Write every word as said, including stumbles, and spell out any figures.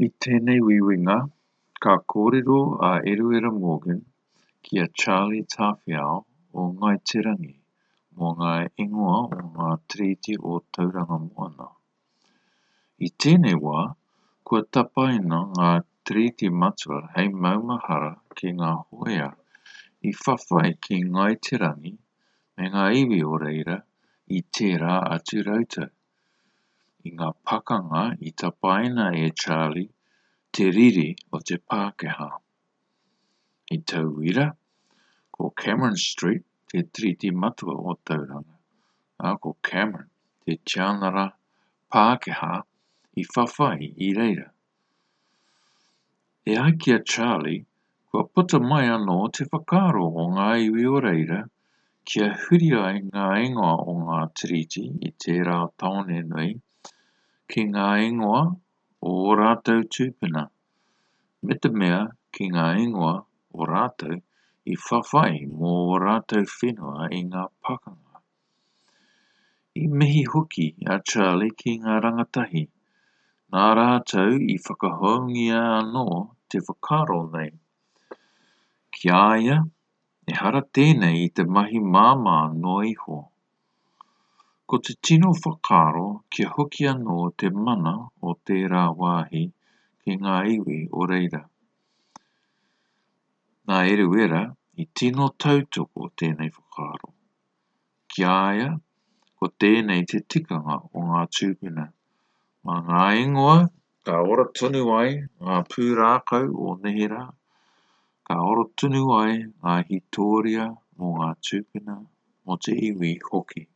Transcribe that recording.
I tēnei uiuinga, ka kōrero a Eruera Morgan ki a Charlie Tāwhiao o Ngāi Te Rangi mō ngā ingoa o ngā tiriti o Tauranga Moana. I tēnei wā, kua tapaina ngā tiriti matua hei maumahara ki ngā hōia i whawhai ki Ngāi Te Rangi me ngā iwi o reira i tērā atu rautau. I ngā pakanga i tapaina e Charlie te riri o te Pākehā. Hei tauira, ko Cameron Street te tiriti matua o Tauranga, ā, ko Cameron te tianara Pākehā i whawhai i reira. E ai ki a Charlie, kua puta mai anō te whakaaro o ngā iwi o reira kia huri ai ngā ingoa o ngā tiriti i tērā tāone nui ki ngā ingoa o ō rātou tūpuna, me te mea ki ngā ingoa o rātou i whawhai mō ō rātou whenua i ngā pakanga. I mihi hoki a Charlie ki ngā rangatahi, nā rātou i whakahoungia anō te whakaaro nei. Ki a ia, ehara tēnei i te mahi māmā noa iho. Ko te tino whakaaro kia hoki anō te mana o tērā wāhi ki ngā iwi o reira. Nā Eruera i tino tautoko tēnei whakaaro. Ki a ia, ko tēnei te tikanga o ngā tūpuna. Mā ngā ingoa ka ora tonu ai ngā pūrākau o neherā, ka ora tonu ai ngā hītoria mō ngā tūpuna, mō te iwi hoki.